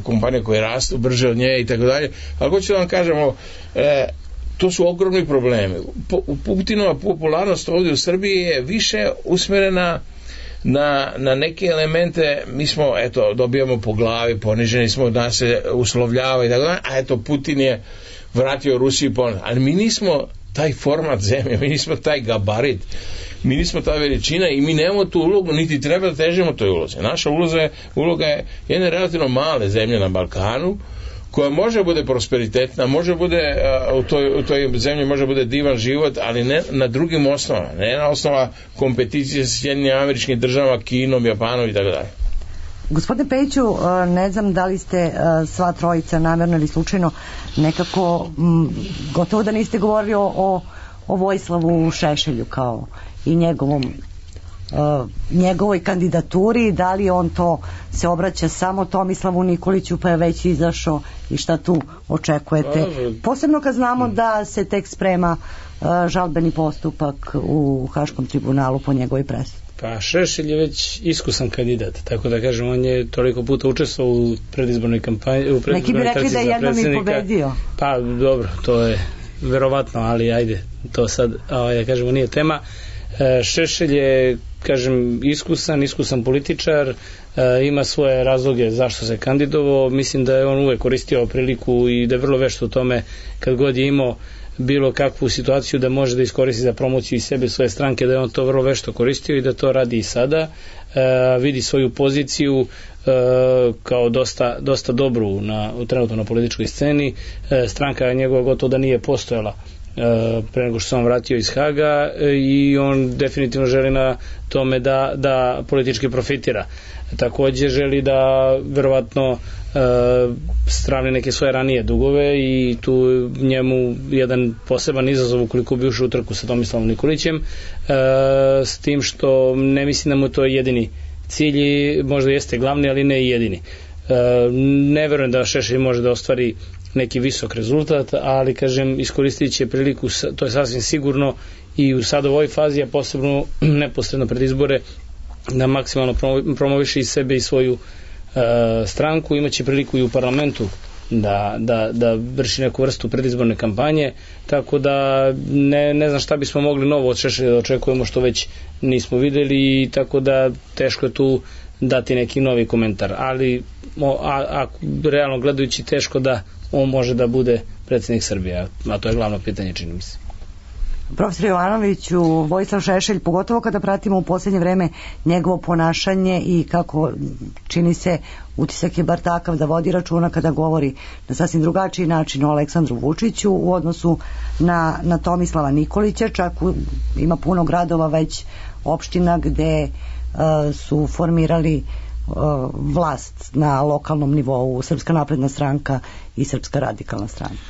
kompanije koje rastu brže od nje i tako dalje, ali hoću da vam kažemo, to su ogromni problemi. Putinova popularnost ovdje u Srbiji je više usmjerena na neke elemente. Mi smo, dobijamo po glavi, poniženi smo, da se uslovljava i tako dalje, a Putin je vratio Rusiji ponovno. Ali mi nismo taj format zemlje, mi nismo taj gabarit, mi nismo ta veličina i mi nemamo tu ulogu, niti treba da težimo toj ulozi. Naša uloga je jedne relativno male zemlje na Balkanu, koja može bude prosperitetna, može bude u toj zemlji može bude divan život, ali ne na drugim osnovama, ne na osnova kompeticije sa Sjedinjenim Američkim Državama, Kinom, Japanom i tako dalje. Gospodine Pejiću, ne znam da li ste sva trojica namjerno ili slučajno nekako gotovo da niste govorili o Vojislavu Šešelju kao i njegovoj kandidaturi, da li on to se obraća samo Tomislavu Nikoliću pa je već izašao i šta tu očekujete, posebno kad znamo da se tek sprema žalbeni postupak u Haškom tribunalu po njegovoj presudi. Pa Šešelj je već iskusan kandidat, tako da kažem, on je toliko puta učestvovao u predizbornoj kampanji, u predizbornoj neki bi rekli da je jednom i pobedio. Pa dobro, to je verovatno, ali ajde, to sad da kažemo nije tema. Šešelj je, kažem, iskusan političar, ima svoje razloge zašto se kandidovao. Mislim da je on uvek koristio priliku i da je vrlo vešt u tome kad god je imao bilo kakvu situaciju da može da iskoristi za promociju i sebe, svoje stranke, da je on to vrlo vešto koristio i da to radi i sada. Vidi svoju poziciju kao dosta dobru trenutno na političkoj sceni. Stranka njegova gotovo da nije postojala pre nego što se on vratio iz Haga i on definitivno želi na tome da politički profitira. Takođe želi da verovatno stravni neke svoje ranije dugove i tu njemu jedan poseban izazov ukoliko bi ušao u trku sa Tomislavom Nikolićem, s tim što ne mislim da mu to je jedini cilj, možda jeste glavni, ali ne i jedini. Ne verujem da Šešelj može da ostvari neki visok rezultat, ali kažem, iskoristit će priliku, to je sasvim sigurno, i u sad ovoj fazi, a posebno neposredno pred izbore, da maksimalno promoviše i sebe i svoju stranku. Imaće priliku i u parlamentu da vrši neku vrstu predizborne kampanje, tako da ne znam šta bismo mogli novo od Šešelja da očekujemo što već nismo videli, i tako da teško je tu dati neki novi komentar, ali realno gledajući teško da on može da bude predsjednik Srbije, a to je glavno pitanje, čini mi se. Profesor Jovanoviću, Vojislav Šešelj, pogotovo kada pratimo u posljednje vreme njegovo ponašanje i kako čini se, utisak je bar takav da vodi računa kada govori na sasvim drugačiji način o Aleksandru Vučiću u odnosu na Tomislava Nikolića, čak ima puno gradova, već opština gde su formirali vlast na lokalnom nivou Srpska napredna stranka i Srpska radikalna stranka.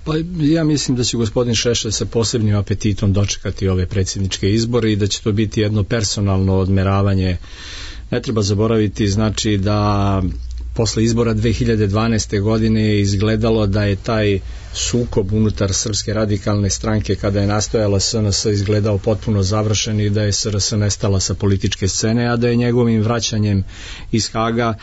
Pa ja mislim da će gospodin Šešelj sa posebnim apetitom dočekati ove predsjedničke izbore i da će to biti jedno personalno odmeravanje. Ne treba zaboraviti, znači da posle izbora 2012. godine je izgledalo da je taj sukob unutar Srpske radikalne stranke kada je nastojala SNS izgledao potpuno završen i da je SRS nestala sa političke scene, a da je njegovim vraćanjem iz Haga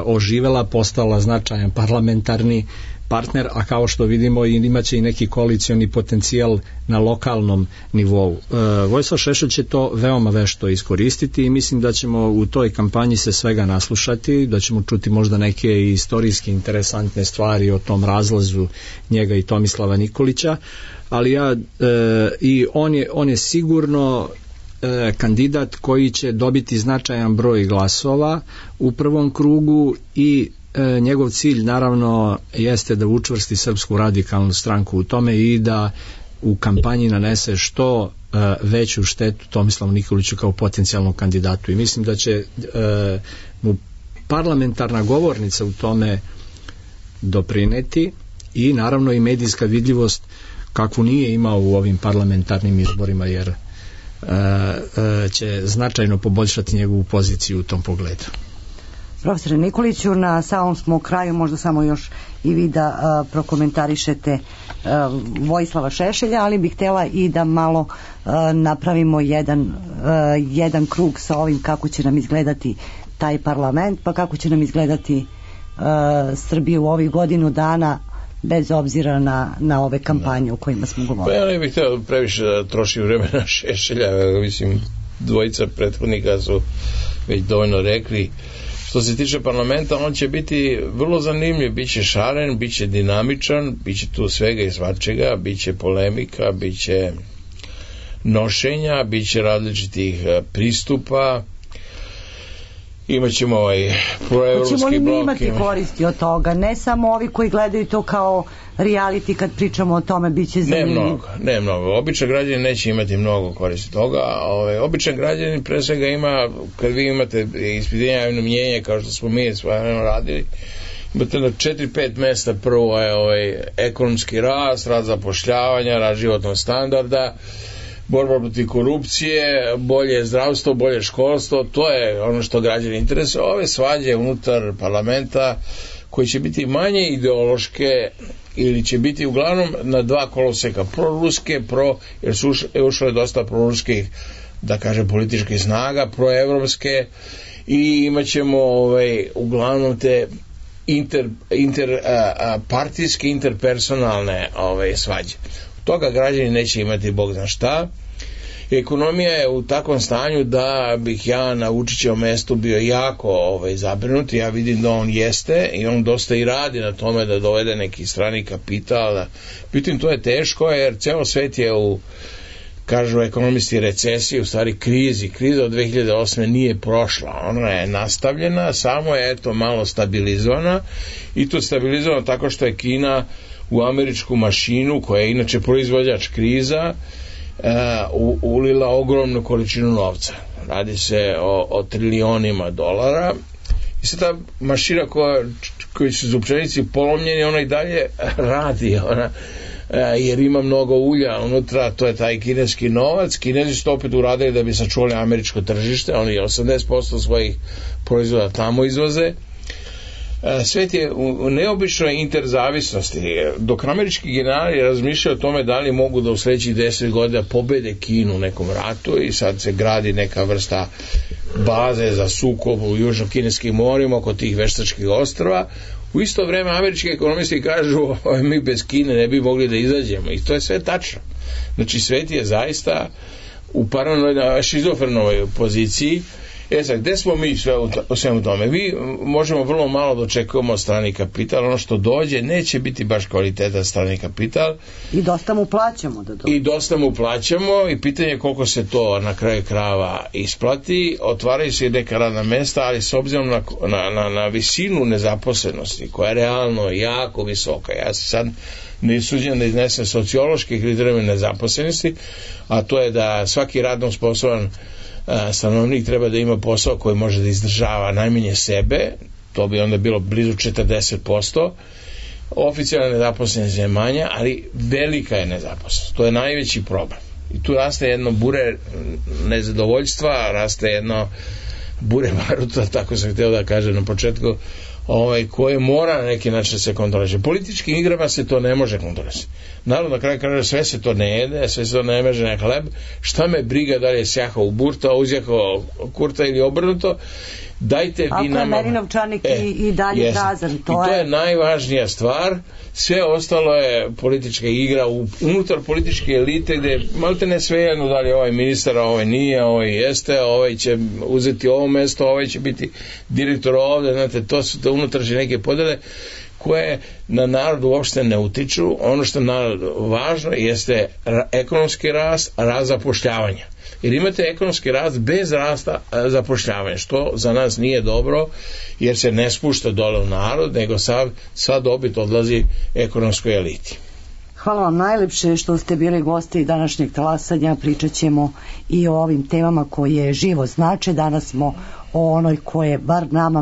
oživela, postala značajan parlamentarni partner, a kao što vidimo imaće i neki koalicioni potencijal na lokalnom nivou. Vojislav Šešelj će to veoma vešto iskoristiti i mislim da ćemo u toj kampanji se svega naslušati, da ćemo čuti možda neke istorijski interesantne stvari o tom razlazu njega i Tomislava Nikolića, ali i on je sigurno kandidat koji će dobiti značajan broj glasova u prvom krugu i njegov cilj naravno jeste da učvrsti Srpsku radikalnu stranku u tome i da u kampanji nanese što veću štetu Tomislavu Nikoliću kao potencijalnom kandidatu i mislim da će mu parlamentarna govornica u tome doprineti i naravno i medijska vidljivost kakvu nije imao u ovim parlamentarnim izborima, jer će značajno poboljšati njegovu poziciju u tom pogledu. Profesore Nikoliću, na samom smo kraju, možda samo još i vi da prokomentarišete Vojislava Šešelja, ali bih htjela i da malo napravimo jedan krug sa ovim kako će nam izgledati taj parlament, pa kako će nam izgledati Srbija u ovih godinu dana, bez obzira na ove kampanje o kojima smo govorili. Pa ja ne bih htio previše da trošim vremena Šešelja, mislim, dvojica prethodnika su već dovoljno rekli. Što se tiče parlamenta, on će biti vrlo zanimljiv, bit će šaren, bit će dinamičan, bit će tu svega i svačega, bit će polemika, bit će nošenja, bit će različitih pristupa, imaćemo proevropski blok. Hoćemo li mi imati koristi od toga? Ne samo ovi koji gledaju to kao reality, kad pričamo o tome, bit će zanimljivo. Ne mnogo. Običan građanin neće imati mnogo koristi toga. Običan građanin pre svega ima, kad vi imate ispitivanje javnog mnjenja, kao što smo mi svojeno radili, imate na 4-5 mesta. Prvo je ekonomski rast zapošljavanja, rast životnog standarda, borba protiv korupcije, bolje zdravstvo, bolje školstvo, to je ono što građani interesuje. Ove svađe unutar parlamenta koji će biti manje ideološke ili će biti uglavnom na dva koloseka, proruske, jer su ušle dosta proruskih, da kažem, političkih snaga, proevropske, i imat ćemo uglavnom te partijske, interpersonalne svađe. Toga građani neće imati bog zna šta. Ekonomija je u takvom stanju da bih ja na Vučićevom mestu bio jako zabrinut. Ja vidim da on jeste i on dosta i radi na tome da dovede neki strani kapital. Međutim, to je teško, jer ceo svet je kažu ekonomisti, recesiji, u stvari krizi. Kriza od 2008. nije prošla, ona je nastavljena, samo je malo stabilizovana, i to stabilizovana tako što je Kina u američku mašinu, koja je inače proizvođač kriza, ulila ogromnu količinu novca. Radi se o trilionima dolara, i sad ta mašina koji su zupčanici polomljeni, ona i dalje radi, jer ima mnogo ulja unutra, to je taj kineski novac. Kinezi su to opet uradili da bi sačuvali američko tržište, oni 80% svojih proizvoda tamo izvoze. Svet je u neobičnoj interzavisnosti. Dok američki generali razmišljaju o tome da li mogu da u sledećih 10 godina pobede Kinu u nekom ratu, i sad se gradi neka vrsta baze za sukob u južno-kineskim morima oko tih veštačkih ostrva, u isto vreme američki ekonomisti kažu mi bez Kine ne bi mogli da izađemo, i to je sve tačno. Znači, svet je zaista u paranoidnoj, šizofrenoj poziciji, Sad, gde smo mi sve u svemu tome? Vi možemo vrlo malo da očekujemo strani kapital, ono što dođe neće biti baš kvalitetan strani kapital. I dosta mu plaćamo da dođe. I dosta mu plaćamo i pitanje je koliko se to na kraju krava isplati. Otvaraju se i neka radna mesta, ali s obzirom na visinu nezaposlenosti, koja je realno jako visoka. Ja se sad ne suđem da iznesem sociološki kriterijum nezaposlenosti, a to je da svaki radno sposoban stanovnik treba da ima posao koji može da izdržava najmanje sebe, to bi onda bilo blizu 40%. Oficijalna nezaposlenost je manja, ali velika je nezaposlenost. To je najveći problem. I tu raste jedno bure nezadovoljstva, raste jedno bure baruta, tako sam htio da kažem na početku, koje mora na neki način se kontroliše. Političkim igrama se to ne može kontrolisati. Naravno, na kraju kaže, sve se to ne jede, sve se to ne meže na hleb, šta me briga da li je sjahao u burta, uzjahao kurta ili obrnuto, dajte vi nama... Ako je meni novčanik i dalje prazan, to je najvažnija stvar. Sve ostalo je politička igra unutar političke elite, gde malte ne svejedno da li je ovaj ministar, a ovaj nije, ovaj jeste, ovaj će uzeti ovo mesto, ovaj će biti direktor ovde, znate, to su te unutrašnje neke podele koje na narod uopšte ne utiču. Ono što je narod važno jeste ekonomski rast zapošljavanja. Jer imate ekonomski rast bez rasta zapošljavanja, što za nas nije dobro, jer se ne spušta dole u narod, nego sva dobit odlazi ekonomskoj eliti. Hvala vam najlepše što ste bili gosti današnjeg talasanja. Pričat ćemo i o ovim temama koje živo znače. Danas smo o onoj koje bar nama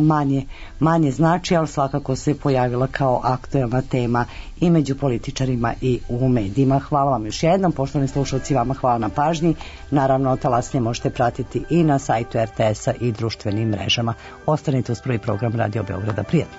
manje znači, ali svakako se pojavila kao aktuelna tema i među političarima i u medijima. Hvala vam još jednom, poštovani slušalci, vama hvala na pažnji. Naravno, talasanje možete pratiti i na sajtu RTS-a i društvenim mrežama. Ostanite uz prvi program Radio Beograda. Prijatno.